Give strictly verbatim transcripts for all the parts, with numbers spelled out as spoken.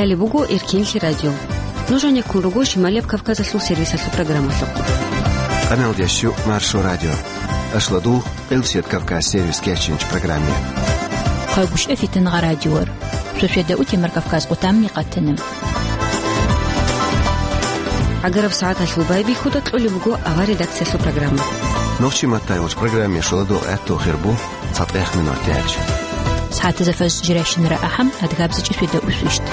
Гьале буго Эркенлъи радио. Нуж гьанеккун руго Шималияб Кавказалъул сервисалъул программалъухъ. Къаналда щу Маршо радио. Ашладул, Къилсият Кавказ сервис кечинч программе. Хъагушев Фитнагъа радиор. Шошеда утемар Кавказ къутамни къатана. ГӀагараб сагӀаталъул байбихьуда кьолеб буго авар редакциялъул программа. Нохчи маттайолч программе шуладо гӀатту хирбу. ЦатӀех минут тяч. СагӀатазда фаз жиращинара ахӀам, адгабзичӀи свида усвищт.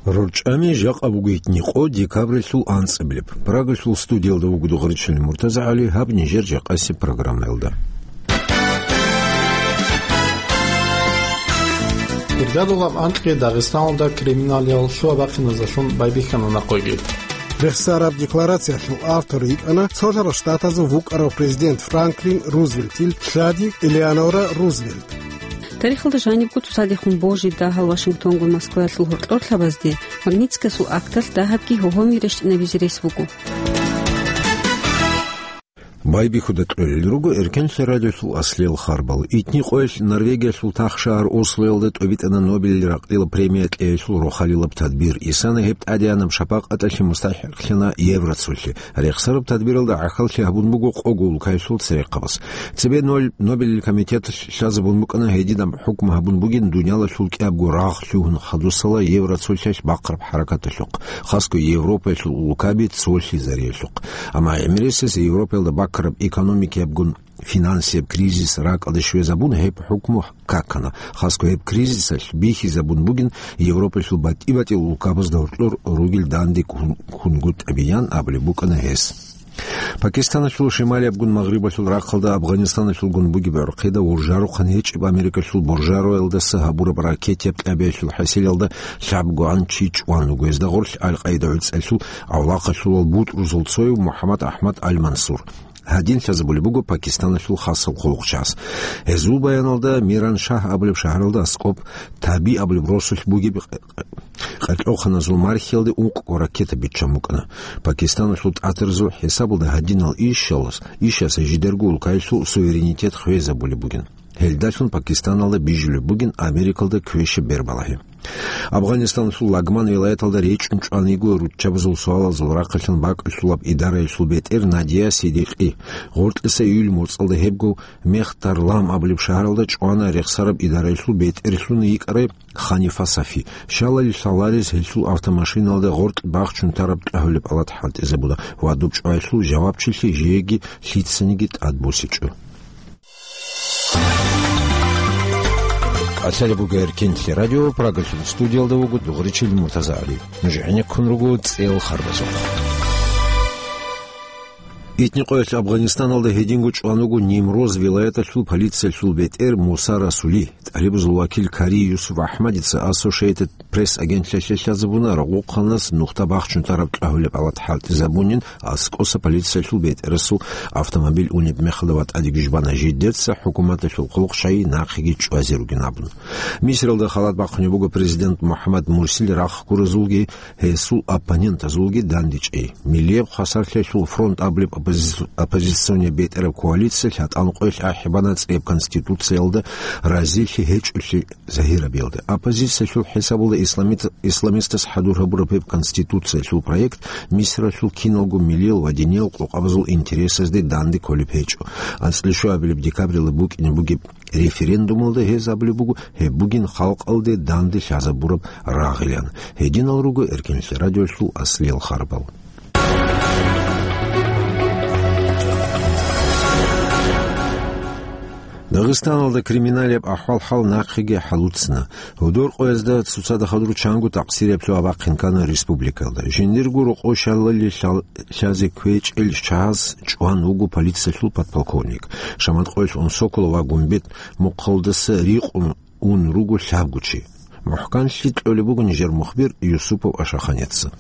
РорчӀами жакъа бугойтни къо декабрилъул анцӀабилеб. Прагалъул студиялда вугода гъоркьчӀул МуртазагӀали, гьаб нижер жакъасеб программаялда. Иргадулаб анкьги Дагъистаналда криминалиял лъугьа-бахъиназалъун байбихьана накъвеги. Рехсараб декларациялъул автор йикӀана Цолъарал Штатазул вукӀарав президент Франклин Рузвельтил лъади Элеонора Рузвельт. Тарихалда жанибго цоцадехун божи дагьал Вашингтонгун Москваялъул гьоркьорлъабазде Магнитскасул акталъ дагьабги гьогьоми рещтӀинабизе рес буго. Байбихьуда кьолел руго Эркенлъи радиолъул аслиял харбал. Итни къоялъ Норвегиялъул тахшагьар Ослоялда тӀобитӀана Нобелил ракьдила премия кьеялъул рохалилаб тадбир. Исана гьеб тӀадегӀанаб шапакъаталъе мустахӀикълъана Евроцолъи. Рехсараб тадбиралда гӀахьаллъи гьабун буго къого улкаялъул церехъабаз. Цебе Нобелил комитеталъ лъазабун букӀана гьединаб хӀукму гьабун бугин дуниялалъул кӀиябго рагъ лъугьун хадусала Евроцолъиялъ бахъараб хӀаракаталъухъ, хасго Европаялъул улкаби цолъизариялъухъ. Амма гӀемерисез Европаялда баккараб экономикиябгун финансияб кризис ракӀалде щвезабун гьеб хӀукму какана, хасго гьеб кризисалъ бихьизабун бугин Европаялъул батӀи-батӀиял улкабазда гьоркьор ругел данде ккун-, ккунгутӀабиян абулеб букӀана гьес. Пакистаналъул шималиябгун магърибалъул рахъалда Афганистаналъулгун бугеб гӀорхъида уржарухъан гьечӀеб Америкалъул буржароялдаса гьабураб ракетияб кьабиялъул хӀасилалда лъабгогӀан чи чӀван вуго. Гьезда гъорлъ Аль-Къаида гӀуцӀалъул авлахъалъулал бутӀрузул цояв МухӀаммад Ахмад Аль-Мансур. Гьадин лъазабулеб буго Пакистаналъул хасаб хъулухъчагӀаз. Гьезул баяналда Миран-Шагь абулеб шагьаралда аскӀоб Таби абулеб росулъ бугеб къа-, къа-, къаркьоханазул мархиялде ункъго ракета биччан букӀана. Пакистаналъул тӀатарзул хӀисабалда гьадинал ишалас, ишаса жидерго улкаялъул суверенитет хвезабулеб бугин. Гьелдалъун Пакистаналда бижулеб бугин Америкалда квешаб бербалагьи. Афганистаналъул Лагман вилаяталда речӀчӀун чӀван йиго руччабазул суалазул рахъалъан бакӀалъулаб идараялъул бетӀер Надия Сидикъи. Гъоркьиса июль моцӀалда гьебго Мехтарлам абулеб шагьаралда чӀвана рехсараб идараялъул бетӀерлъун йикӀарай Ханифа Сафи. Щалали лъаларез гьелъул автомашиналда гъоркь бахчун тараб тӀагьулеб алат хӀалтӀизабуна ва доб чӀваялъул жавабчилъи жеги лъицаниги тӀадбосичӀо. Алъали буго Эркенлъи радио, Прагалъул студиялда вуго дугъричил МуртазагӀали. Нуж гӀенеккун руго цӀел харбазухъ. Итни къоялъ Афганистаналда гьединго чӀван вуго Нимроз вилаяталъул полициялъул бетӀер Муса Расули. ТӀалибазул вакил Кари Юсуп АхӀмадица Associated Press агентлъиялъе лъазабуна рагъухъанас нухда бахчун тараб тӀагьулеб алат хӀалтӀизабунин, аскӀоса полициялъул бетӀерасул автомобиль унеб мехалда ва тӀадеги жбана жидеца хӀукуматалъул хъулухъ щай нахъеги чӀвазе ругин абун. Мисралда халат бахъунеб буго президент МухӀаммад Мурсил рахъ гуразулги гьесул оппонентазулги дандечӀей. Миллияб хвасарлъиялъул фронт абулеб оппози-, оппозиционный бетӀераб коалиция лъатӀан къоялъ ахӀи бана цӀеб конституциялда разилъи гьечӀолъи загьирабиялда. Оппозициялъул хӀисабалда исламит-, исламистас хӀадур гьабураб гьеб конституциялъул проект Мисралъул киналго миллиял ва диниял къокъабазул интересазде данде кколеб гьечӀо. АнцӀила щуабилеб декабрила букӀине бугеб референдумалда гьез абулеб буго, гьеб бугин халкъалде данде лъазабураб рагъилан. Гьединал руго Эркенлъи радиолъул аслиял харбал. Дагъистаналда криминалияб ахӀвал-хӀал нахъеги хӀалуцна. Гьудор къоязда цоцазда хадур чанго такъсирияб лъугьа-бахъин ккана республикалда. Жиндирго рокъов щалали лъал-, лъазе кквечӀел чагӀаз чӀван вуго полициялъул подполковник. Шамат къоялъ Унсоколо ва Гумбет мухъалдаса рикъун ун руго лъабго чи. МухӀканлъи кьолеб буго нижер мухбир Юсупов Ашаханеца.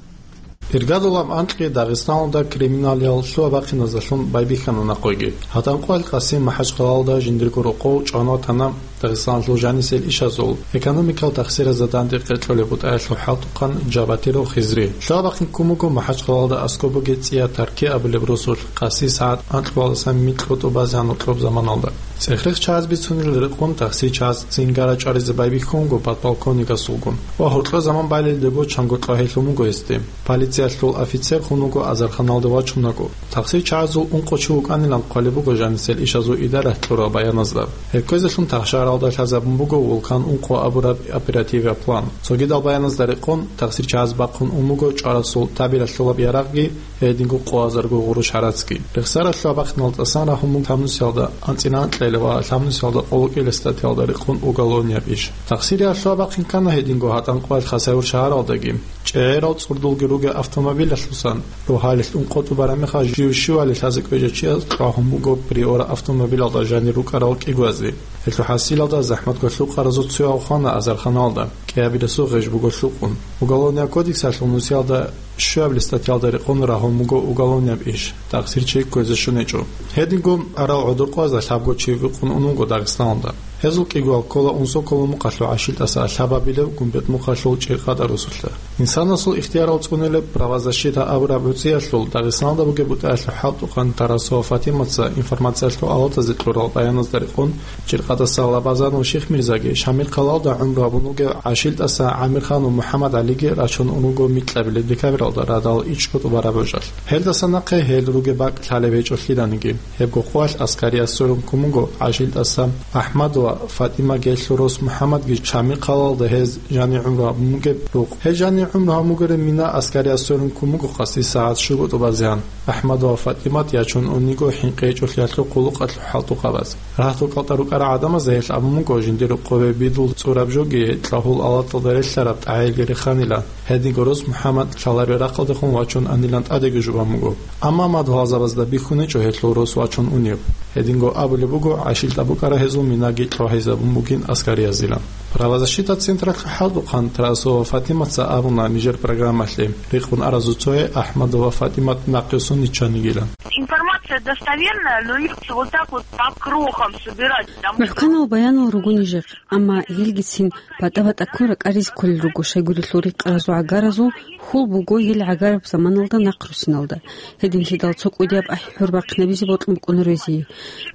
Иргадулаб анкьи Дагъистаналда криминалиял лъугьа-бахъиназдалъун байбихьана нахъеги. ГьатӀан къоялъ Къасим МахӀачхъалалда жиндирго рокъов чӀван ватана Дагъистаналъул жанисел ишазул, экономикал тахсиразда данде къечӀолеб бутӀаялъул хӀалтӀухъан Жабатиров Хизри. Лъугьа-бахъин ккун буго МахӀачхъалалда аскӀоб бугеб цӀияб Тарки абулеб росулъ, къаси сагӀат анкьабилеб микьго тӀубазе гьанур кьоб заманалда. ЦӀех-рех чагӀаз бицунел рекъон тахсир чагӀаз цинги рачӀваризе байбихьун буго подполковникасулгун ва гьоркьор заман балелдего чанго кьвагьелъун буго гьесде. Полициялъул офицер хун вуго азарханалде вачунаго. Тахсир чагӀазул ункъо чи вукӀанилан хъвалеб буго жанисел ишазул идаралъ кьураб баяназда. Гьеб кквезелъун тахшаралда лъазабун буго Вулкан ункъо абураб оперативияб план. Цогидал баяназда рекъон, тахсир чагӀаз бахъун ун буго чӀварасул табиялъулаб ярагъги, гьединго къоазарго гъурущ гьарацги. Рехсаралъул бахъиналда тӀасан рагьун буго лъабнусиялда анцӀила анкьила ва лъабнусиялда къоло кӀиабилеб статьялда рекъон уголовнияб иш. Тахсириялъул бахъин ккана гьединго гьатӀан къоялъ Хасавюрт шагьаралдаги. ЧӀегӀерал цӀурдулги ругел автомобилалъусан, рогьалилъ ункъо тӀубараб мехалъ жив щивали лъазе кӀвечӀев чияс кьвагьун буго Приора автомобилалда жанир рукӀарал кӀигоязе. Гьелъул хӀасилалда захӀматго лъукъаразул цояв хвана азарханалда, кӀиабилесул гъеж буго лъукъун. Уголовнияб кодексалъул нусиялда щуабилеб статьялда рекъон рагьун буго уголовнияб иш, тахсир чи кквезе щун гьечӀо. Гьединго арал гӀодор къоязда лъабго чи вукъун ун вуго Дагъистаналда. Гьезул кӀигоял ккола Унсоколо мухъалъул ГӀашилтӀаса лъабабилеб Гумбет мухъалъул ЧӀиркъатӀа росулъа. Инсанасул ихтиярал цӀунилеб «Правозащита» абураб гӀуцӀиялъул Дагъистаналда бугеб бутӀаялъул хӀалтӀухъан Тарасова Фатиматца информациялъул алатазе кьурал баяназда рекъон, ЧӀиркъатӀаса Лабазанов Шихмирзаги Шамил-хъалалда гӀумру гьабун вугев ГӀашилтӀаса ГӀамирхан ва МухӀаммад ГӀалиги рачун ун руго микьабилеб декабралда радал ичӀго тӀубараб божалъ. Гьелдаса нахъе гьел ругеб бакӀ лъалеб гьечӀолъиданиги, гьебго къоялъ аскарияб сорун ккун буго ГӀашилтӀаса АхӀмад ва ФатӀимаги, гьелъул рос МухӀаммадги Шамил-хъалалда гьез жанир гӀумру гьабун бугеб рукъ. Гьел жанир гӀумру гьабун бугеб мина аскарияб сорун ккун буго къаси сагӀат щуго тӀубазегӀан. АхӀмад ва ФатӀимат ячун ун йиго хӀинкъи гьечӀолъиялъул хъулухъалъул хӀалтӀухъабаз. Рагьтукалда рукӀарал гӀадамаз гьел абун буго жиндир рукъове бидул цӀураб жоги, гьел кьагьул алаталда релълъараб тӀагӀелги реханила. Гьединго рос МухӀаммад лъалареб рахъалдехун вачун анилан тӀадеги жубан буго. Амма мадугьалзабазда бихьун гьечӀо гьелъул рос вачун унеб. Гьединго абулеб буго, ГӀашилтӀа букӀараб гьезул минаги кьвагьизабун бугин аскариязилан. «Правозащита» централъул хӀалтӀухъан Тарасова Фатиматца абуна нижер программалъе, рекъон аразул цое АхӀмад ва ФатӀимат нахъе суниччанигилан. Информация достоверная, но если вот так вот по крохам собирать, там... МухӀканал баянал руго нижехъ, амма гьелгицин батӀа-батӀа ккун ракӀаризе кколел руго, щайгурелъул рекъаразул гӀагаразул хьул буго гьел гӀагараб заманалда нахърусиналда. Гьединлъидал цо кӀудияб ахӀи-хӀур бахъинабизе бокьун букӀунаро гьезие.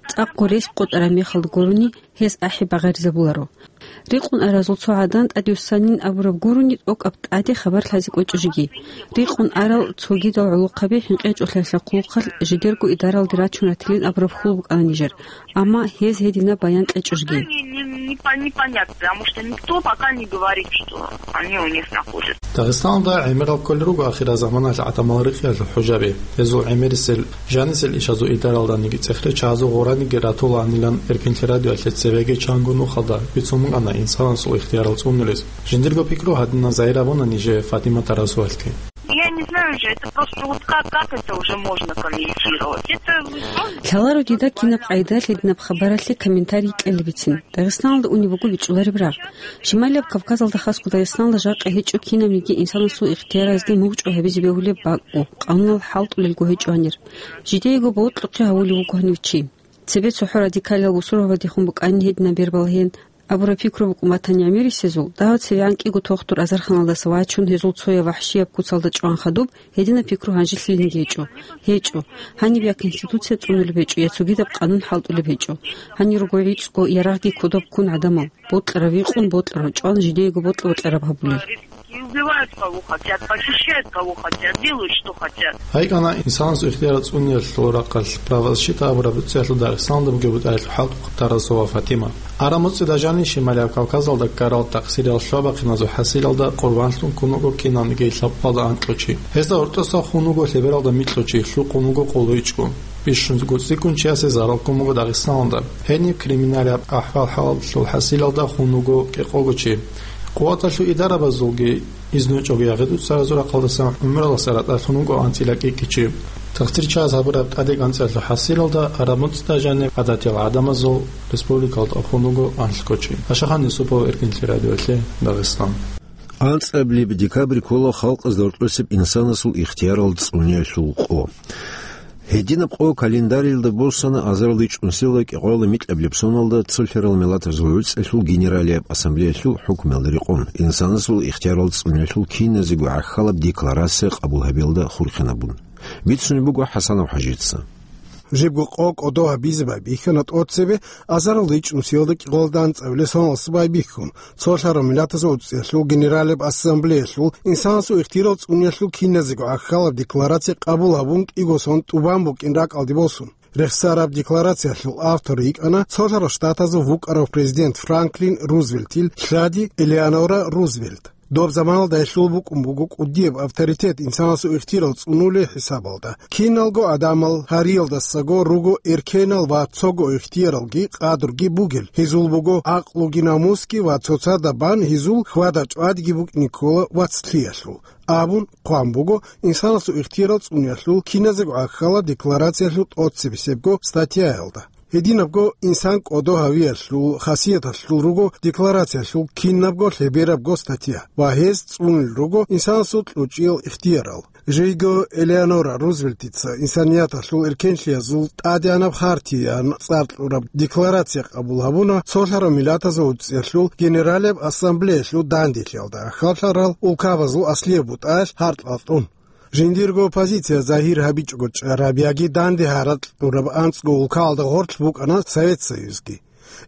ЦӀакъго рес къотӀараб мехалда гурони, гьез ахӀи багъаризабуларо. Рекъон аразул цо гӀадан тӀадвуссанин абураб гурони, тӀокӀаб тӀаде хабар лъазе кӀвечӀо жеги. Рекъон арал цогидал гӀолохъаби хӀинкъи гьечӀолъиялъул хъулухъалъ жидерго идаралде рачун ратилин абураб хьул букӀана нижер, амма гьез гьединаб баян кьечӀо жеги. Не, не, не по-, непонятно, потому что никто пока не говорит, что они у них находятся. Дагъистаналда гӀемерал кколел руго ахирзаманалъ гӀадамал рекъиялъул хӀужаби. Гьезул гӀемерисел жанисел ишазул идаралданиги цӀех-речагьазул гъораниги ратулаанилан Эркинлъи радиоялъе цевеги чанго нухалда бицун букӀана инсанасул ихтиярал цӀунулез. Жиндирго пикру гьадинан загьир гьабуна нижее Фатима Тарасовалъги. Я не знаю уже, это просто вот как, как это уже можно комментировать? Это просто... Лъаларо дида кинаб къайдалъ гьединаб хабаралъе комментарий кьелебицин. Дагъистаналда унеб буго бичӀчӀулареб рагъ. Шималияб Кавказалда, хасго Дагъистаналда, жакъа гьечӀо кинабниги инсанасул ихтияразде мугъчӀвай гьабизе бегьулеб бакӀго, къанунал хӀалтӀулелго гьечӀо гьанир. Жидеего бокьухъе гьавулев вуго гьанив чи. Цебе цохӀо радикалиял бусурбабазехун букӀанин гьединаб бер балагьеян абураб пикру букӀун батани гӀемерисезул, дагьав цевегӀан кӀиго тохтур азарханалдаса вачун, гьезул цояв вахӀшияб куцалда чӀван хадуб, гьединаб пикру гьанжелъилинги гьечӀо. ГьечӀо. Гьаниб я Конституция цӀунулеб гьечӀо, я цогидаб къанун хӀалтӀулеб гьечӀо. Гьанир руго гӀицӀго ярагъги кодоб ккун гӀадамал. Бокьарав викъун, бокьарав чӀван, жидеего бокьа-бокьараб гьабулел. И убивают кого хотят, похищают кого хотят, делают что хотят. Гьайкана, инсанасул ихтияр цӀуниялъул рахъалъ «Правозащита» абураб гӀуцӀиялъул Дагъистаналда бугеб бутӀаялъул хӀалтӀухъан Тарасова Фатима. Араб муцӀида жанив Шималияб Кавказалда ккарал тахсирияб лъугьа-бахъиназул хӀасилалда къурбанлъун ккун вуго кинабниги лъабкъоялда анкьго чи. Гьезда гьоркьоса хун вуго лъебералда микьго чи, лъукъун вуго къоло ичӀго. Бищун цӀикӀкӀун чиясе зарал ккун буго Дагъистаналда. Гьениб криминалияб ахӀвал-хӀалалъул хӀасилалда хун вуго кӀикъого чи. Къуваталъул идарабазулги изну гьечӀого ягъи-дуцаразул рахъалдасан гӀумралдаса ратӀалъун вуго анцӀила кӀикӀги чи. Тахсир чагӀаз гьабураб тӀадегӀанцӀиялъул хӀасилалда араб муцӀида жаниб гӀадатиял гӀадамазул республикалда хун вуго анлъго чи. Ашахан Юсупов, Эркинлъи радиоялъе, Дагъистан. АнцӀабилеб декабрь ккола халкъазда гьоркьосеб инсанасул ихтиярал цӀуниялъул къо. Гьединаб къо календарилда босана азарилда ичӀнусиялда кӀикъоялда микьабилеб соналда цолъарал миллатазул гӀуцӀиялъул Генералияб ассамблеялъул хӀукмуялда рекъон, инсанасул ихтиярал цӀуниялъул киназего гӀахьалаб декларация къабул гьабиялда хурхинабун. Бицунеб буго ХӀасанов ХӀажица. Жибго къо кӀодо гьабизе байбихьана тӀоцебе азарилда ичӀнусиялда кӀикъоялда анцӀабилеб соналдаса байбихьун, цолъарал миллатазул гӀуцӀиялъул Генералияб ассамблеялъул инсанасул ихтиярал цӀуниялъул киназего гӀахьалаб декларация къабул гьабун кӀиго сон тӀубан букӀин ракӀалде босун. Рехсараб декларациялъул автор йикӀана Цолъарал Штатазул вукӀарав президент Франклин Рузвельтил лъади Элеонора Рузвельт. Доб заманалда гьелъул букӀун буго кӀудияб авторитет инсанасул ихтиярал цӀунулел хӀисабалда. Киналго гӀадамал гьариялдасаго руго эркенал ва цого ихтияралги къадруги бугел, гьезул буго гӀакълуги намусги ва цоцазда бан гьезул хьвада чӀвадиги букӀине ккола вацлъиялъул, абун хъван буго инсанасул ихтиярал цӀуниялъул киназего гӀахьалаб декларациялъул тӀоцебесебго статьяялда. Гьединабго инсан кӀодо гьавиялъул хасияталъул руго декларациялъул кинабго лъеберабго статья ва гьез цӀунул руго инсанасул кьучӀиял ихтиярал. Жийго Элеонора Рузвельтица инсанияталъул эркенлъиязул тӀадегӀанаб хартияян цӀар кьураб декларация къабул гьабуна Цолъарал Миллатазул ГӀуцӀиялъул Генералияб Ассамблеялъул данделъиялда хьалхарал улкабазул аслияб бутӀаялъ гьаркьалъун. Жиндирго позиция загьир гьабичӀого чӀараб яги данде гьаракь кьураб анцӀго улкаялда гъорлъ букӀана Совет Союзги.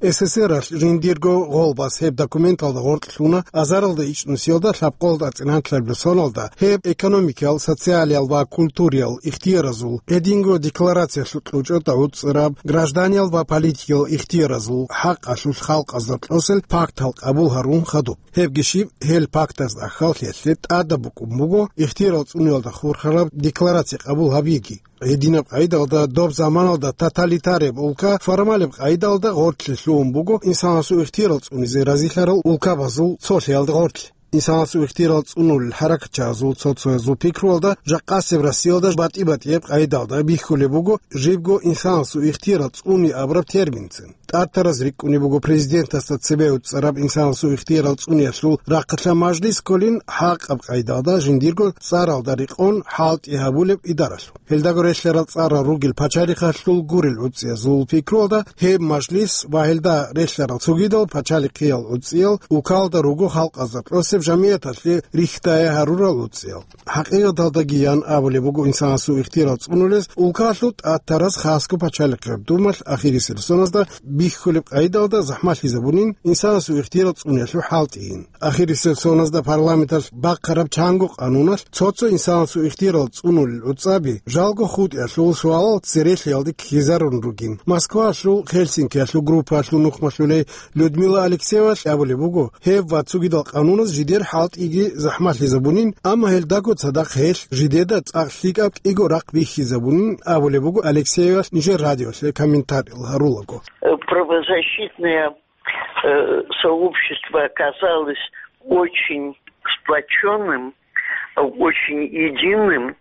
СССРалъ жиндирго гъолбас гьеб документалда гъоркь лъуна азаралда ичӀнусиялда лъабкъоялда цӀинанлъабилеб соналда гьеб экономикиял, социалиял ва культуриял ихтияразул, гьединго декларациялъул кьучӀода гӀуцӀараб гражданиял ва политикиял ихтияразул хӀакъалъулъ халкъазда кьосел пактал къабул гьарун хадуб. Гьебги щиб, гьел пактазда хьалхьиялъе тӀадаб букӀун буго ихтиярал цӀуниялда хурхараб декларация къабул гьабиги. Гьединаб къайдалда доб заманалда тоталитареб улка формалеб къайдалда гъортлъи лъугьун буго инсанасул ихтиярал цӀунизе разилъарал улкабазул цолъиялда гъортлъи. Инсанасул ихтиярал цӀунулел хӀаракатчагӀазул цо-цоязул пикруялда жакъасеб Россиялда батӀи-батӀияб къайдалда бихьулеб буго жибго инсанасул ихтиярал цӀуни абураб терминцин. ТӀатараз рикӀкӀунеб буго президентасда цебе гӀуцӀараб инсанасул ихтиярал цӀуниялъул рахъалъа мажлис кколин хӀакъаб къайдалда жиндирго цӀаралда рекъон хӀалтӀи гьабулеб идаралъул. Гьелдаго релълъарал цӀарал ругел пачалихъалъул гурел гӀуцӀиязул пикруялда гьеб мажлис ва гьелда релълъарал цогидал пачалихъиял гӀуцӀиял улкаялда руго халкъазда кьосеб жамигӀаталъе рихьдая гьарурал гӀуцӀиял. ХӀакъикъаталдаги ян абулеб буго, инсанасул ихтиярал цӀунулез улкалъул тӀатараз хасго пачалихъияб думалъ ахирисел соназда бихьулеб къайдалда захӀмалъизабунин инсанасул ихтиярал цӀуниялъул хӀалтӀийин. Ахирисел соназда парламенталъ бахъараб чанго къануналъ цо-цо инсанасул ихтиярал цӀунулел гӀуцӀаби жалго хутӀиялъул суалал церехиялде ккезарун ругин. Москвалъул Хельсинкиялъул группаялъул нухмалъулей Людмила Алексеевалъ абулеб буго, гьеб ва цогидал къануназ жидер хӀалтӀиги захӀмалъизабунин, амма гьелдаго цадахъ гьелъ жидеда цӀакъ лъикӀаб кӀиго рахъ бихьизабунин абулеб буго Алексеевалъ нижер радиолъе комментариял гьарулаго. Правозащитная э, сообщество оказалось очень сплочённым, очень единым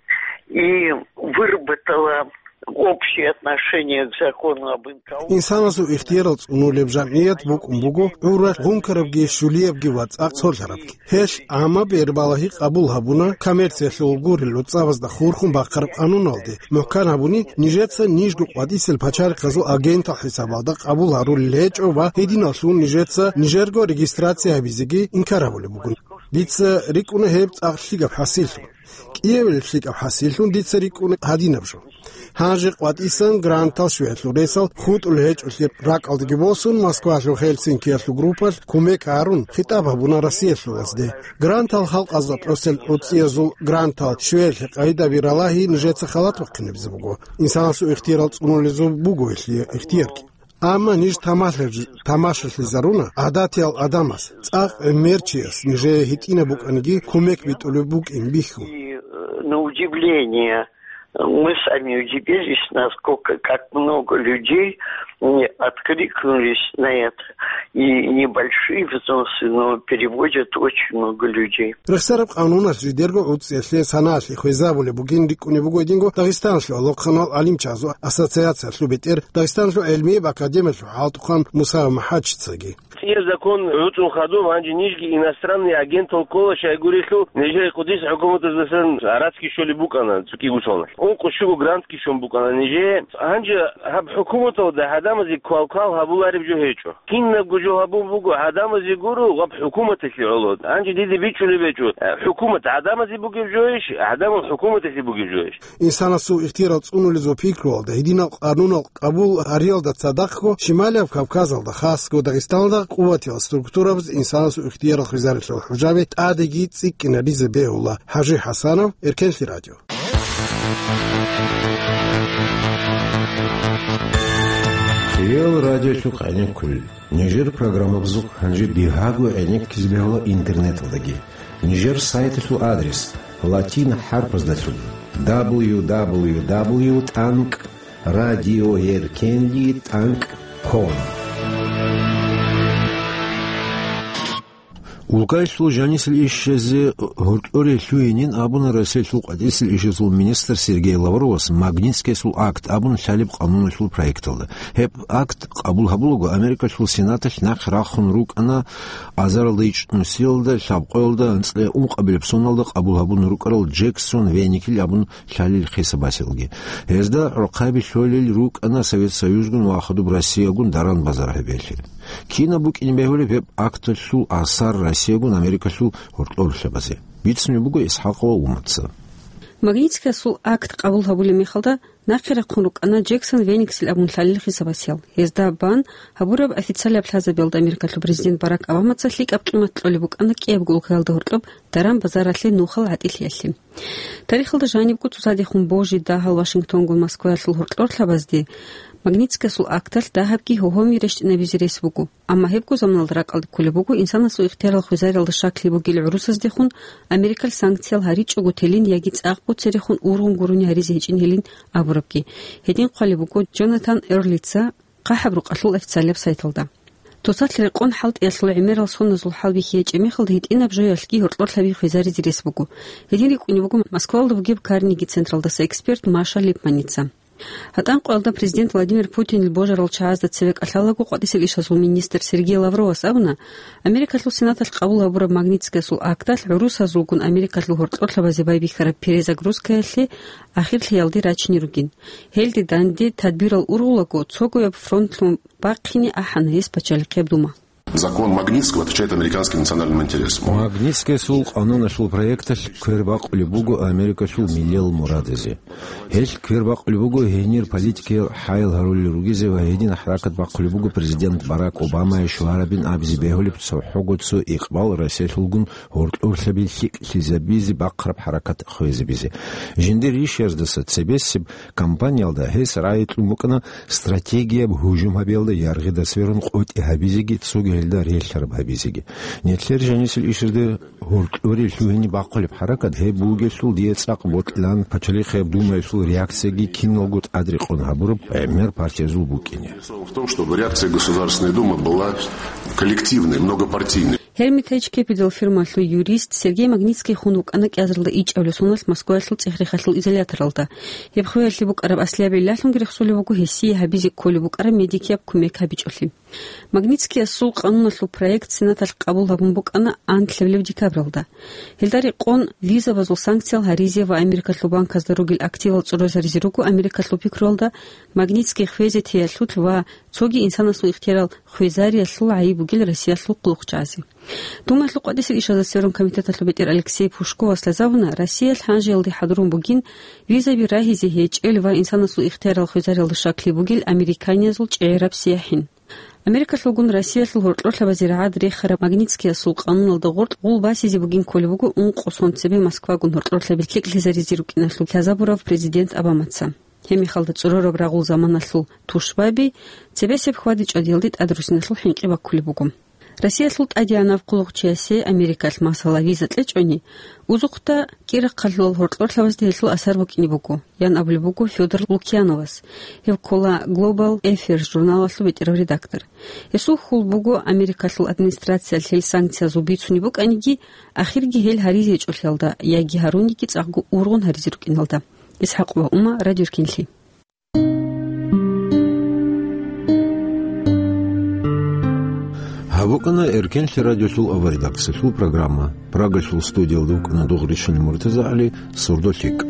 и выработало общее отношение к закону об инкаунтере. Инсанасул ихтиярал цӀунулеб жамгӀият букӀун буго гӀуралъ гъункарабги, щулиябги ва цӀакъ цолъарабги. Гьелъ гӀамма бербалагьи къабул гьабуна коммерциялъул гурел гӀуцӀабазда хурхун бахъараб къануналде, мухӀкан гьабуни, нижеца нижго къватӀисел пачалихъазул агентал хӀисабалда къабул гьарулел гьечӀо ва гьединаллъун нижеца нижерго регистрация гьабизеги инкар гьабулеб бугун. Дица рикӀкӀуна гьеб цӀакъ лъикӀаб хӀасиллъун. КӀиабилеб лъикӀаб хӀасиллъун дица рикӀкӀуна гьадинаб жо. Гьанже къватӀисан грантал щвеялъул ресал хутӀулеб гьечӀолъи ракӀалдаги босун, Москвалъул Хельсинкиялъул группалъ кумек гьарун, хитӀаб гьабуна Россиялъулазде. Грантал халкъазда кьосел гӀуцӀиязул грантал щвеялъе къайдаби ралагьи нижеца халат бахъинабизе буго. Инсанасул ихтиярал цӀунулезул буго гьелъие ихтиярги. Амма ниж тамашалъи-, тамашалъизаруна гӀадатиял адамас, цӀакъ гӀемер чияс нижее гьитӀинаб букӀаниги кумек битӀулеб букӀин бихьун. И, э, на удивление, мы сами удивились, насколько, как много людей, м, откликнулись на это. И небольшие взносы, но переводят очень много людей. Рехсараб къануналъ жидерго гӀуцӀиялъе саналъи хвезабулеб бугин рикӀкӀунеб буго гьединго Дагъистаналъул алохъанал гӀалимчазул ассоциациялъул бетӀер, Дагъистаналъул гӀелмияб академиялъул хӀалтӀухъан Мусаев МахӀачицаги. ЦӀияб закон гӀуцӀун хадуб, гьанже нижги иностранный агентал ккола, щайгурелъул нижер кӀудияс хӀукуматаздасан гьарацги щолеб букӀана цӀикӀкӀи гусалналъ. Ункъо-щуго грантги щун букӀана нижее. Гьанже гьаб хӀукуматалда гӀадамазе квалквал гьабулареб жо гьечӀо. Кинабго жо гьабун буго, гӀадамазе гуро ва хӀукуматалъе гӀоло. Гьанже дида бичӀчӀулеб гьечӀо, э, хӀукумат гӀадамазе бугеб жойищ, гӀадамал хӀукуматалъе бугеб жойищ. Инсанасул ихтияр цӀунулез ва пикруялда, гьединал къанунал къабул гьариялда цадахъго, Шималияб Кавказалда, хасго Дагъистаналда, къуватиял структурабаз инсанасул ихтияр хвезарилъул хӀужаби тӀадеги цӀикӀкӀинаризе бегьула. ХӀажи ХӀасанов, Эркенлъи радио. Хириял радиолъухъ гӀенеккулел. Нижер программабазухъ гьанже бигьаго гӀенеккизе бегьула интернеталдаги. Нижер сайталъул адрес латин хӀарпаздалъун: дабл ю дабл ю дабл ю тӀанкӀ радиоеркенлъи тӀанкӀ ком. Улкаялъул жанисел ишазе гьоркьоре лъугьинин абуна Россиялъул къватӀисел ишазул министр Сергей Лавровас Магнитскиясул акт абун лъалеб къануналъул проекталда. Гьеб акт къабул гьабулаго Америкалъул Сенаталъ нахъе рахун рукӀана азаралда ичӀнусиялда, лъабкъоялда, анцӀила ункъабилеб соналда къабул гьабун рукӀарал Джексон Веникил абун лъалел хисабасиялги. Гьезда гӀорхъаби лъолел рукӀана Совет Союзгун ва хадуб Россиягун даран-базар гьабиялъе. Кинаб букӀине бегьулеб гьеб акталъул асар Россиягун Америкалъул гьоркьорлъабазе? Бицунеб буго ИсхӀакъова Умаца. Магнитскиясул акт къабул гьабулеб мехалда нахъе рахъун рукӀана Джексон Вениксел абун лъалел хисабасиял. Гьезда бан гьабураб официалияб лъазабиялда Америкалъул президент Барак Обамаца лъикӀаб къимат кьолеб букӀана кӀиябго улкаялда гьоркьоб даран-базаралъе нухал гӀатӀилъиялъе. Тарихалда жанибго цоцадехун божи дагьал Вашингтонгун Москваялъул гьоркьорлъабазде Магнитскиясул акталъ дагьабги гьогьоми рещтӀинабизе рес буго. Амма гьебго заманалда ракӀалде кколеб буго инсанасул ихтиярал хвезариялда щаклъи бугел гӀурусаздехун Америкал санкциял гьаричӀого телин яги цӀакъго церехун ургъун гурони гьаризе гьечӀин гьелин абурабги. Гьедин хъвалеб буго Джонатан Эрлица хъахӀаб рукъалъул официалияб сайталда. Цоцалъ рекъон хӀалтӀиялъул гӀемерал соназул хӀалбихьи гьечӀеб мехалда гьитӀинаб жоялъги гьоркьорлъаби хвезаризе рес буго. Гьедин рикӀкӀунеб буго Москвалда бугеб Карнеги централдаса эксперт Маша Липманица. ГьатӀан къоялда президент Владимир Путинил божарал чагӀазда цеве кӀалъалаго къватӀисел ишазул министр Сергей Лавровас абуна, Америкалъул Сенаталъ къабул гьабураб Магнитскиясул акталъ гӀурусазулгун Америкалъул гьоркьорлъабазе байбихьараб перезагрузкаялъе ахирлъиялде рачине ругин. Гьелде данде тадбирал ургъулаго цогояб фронтлъун бахъине ахӀана гьес пачалихъияб дума. Закон Магнитского отвечает американским национальным интересам. Магнитскиясул къануналъул проекталъ квер бакъулеб буго Америкалъул миллиял мурадазе. Гьелъ квер бакъулеб буго гьенир политикиял хӀаял гьарулел ругезе ва гьедин хӀаракат бахъулеб буго президент Барак Обамае щварабин абизе бегьулеб цохӀого цо икъбал Россиялъулгун гьоркьорлъаби лъикӀлъизабизе бахъараб хӀаракат хвезабизе. Жиндир ришаздаса цебесеб кампаниялда гьес рагӀи кьун букӀана стратегияб гьужум гьабиялда яргъида сверун къотӀи гьабизеги, цоги гьелда релълъараб гьабизеги. Нилъер жанисел ишазде гьоркьоре лъугьине бахъулеб хӀаракат гьеб бугелъул дие цӀакъ бокьилан пачалихъияб думаялъул реакцияги киналго тӀадрекъон гьабураб гӀемер партиязул букӀине. В том, чтобы реакция Государственной Думы была коллективной, многопартийной. Гьермитайч Кепидал фирмалъул юрист Сергей Магнитский хун вукӀана кӀиазаралда ичӀабилеб соналъ Москваялъул цӀех-рехалъул изоляторалда. Гьеб хвеялъе букӀараб аслияб гӀиллалъунги рехсолеб буго гьесие гьабизе кколеб букӀараб медикияб кумек гьабичӀолъи. Магнитскиясул къануналъул проект Сенаталъ къабул гьабун букӀана анлъабилеб декабралда. Гьелда рекъон визабазул санкциял гьаризе ва Америкалъул банказда ругел активал цӀурозаризе руго Америкалъул пикруялда Магнитский хвезе теялъул ва цоги инсанасул ихтиярал хвезариялъул гӀайиб бугел Россиялъул хъулухъчагӀазе. Думаялъул къватӀисел ишазда сверун комитеталъул бетӀер Алексей Пушковас лъазабуна, Россиялъ гьанжеялде хӀадурун бугин визаби рагьизе гьечӀел ва инсанасул ихтиярал хвезариялда щаклъи бугел американиязул чӀегӀераб сияхӀин. Америкалъулгун Россиялъул гьоркьорлъабазе рагӀад рехараб Магнитскиясул къануналда гъоркь гъул басизе бугин кколеб буго ункъо сон цебе Москвагун гьоркьорлъаби лъикӀлъизаризе рукӀиналъул лъазабурав президент Обамаца. Гьеб мехалда цӀурораб рагъул заманалъул тушбаби цебесеб хьвади-чӀвадиялде тӀадрусиналъул хӀинкъи баккулеб буго. Россиялъул тӀадегӀанав хъулухъчиясе Америкалъ, масала, виза кьечӀони, узухъда кӀирахъалъулал гьоркьорлъабазда гьелъул асар букӀине буго, ян абулеб буго Фёдор Лукьяновас, гьев ккола Global Affairs журналалъул бетӀерав редактор. Гьесул хьул буго, Америкалъул администрациялъ гьел санкциязул бицунеб букӀаниги, ахирги гьел гьаризе гьечӀолъиялда яги гьаруниги цӀакъго ургъун гьаризе рукӀиналда. Исхьакъ ва Ума, Радио Эркенлъи. ВукӀана Эркенлъи радиолъул аваридаксалъул программа. Прагалъул студиялда вукӀана Дугъришин МуртазагӀали, «Сордо лъикӀ».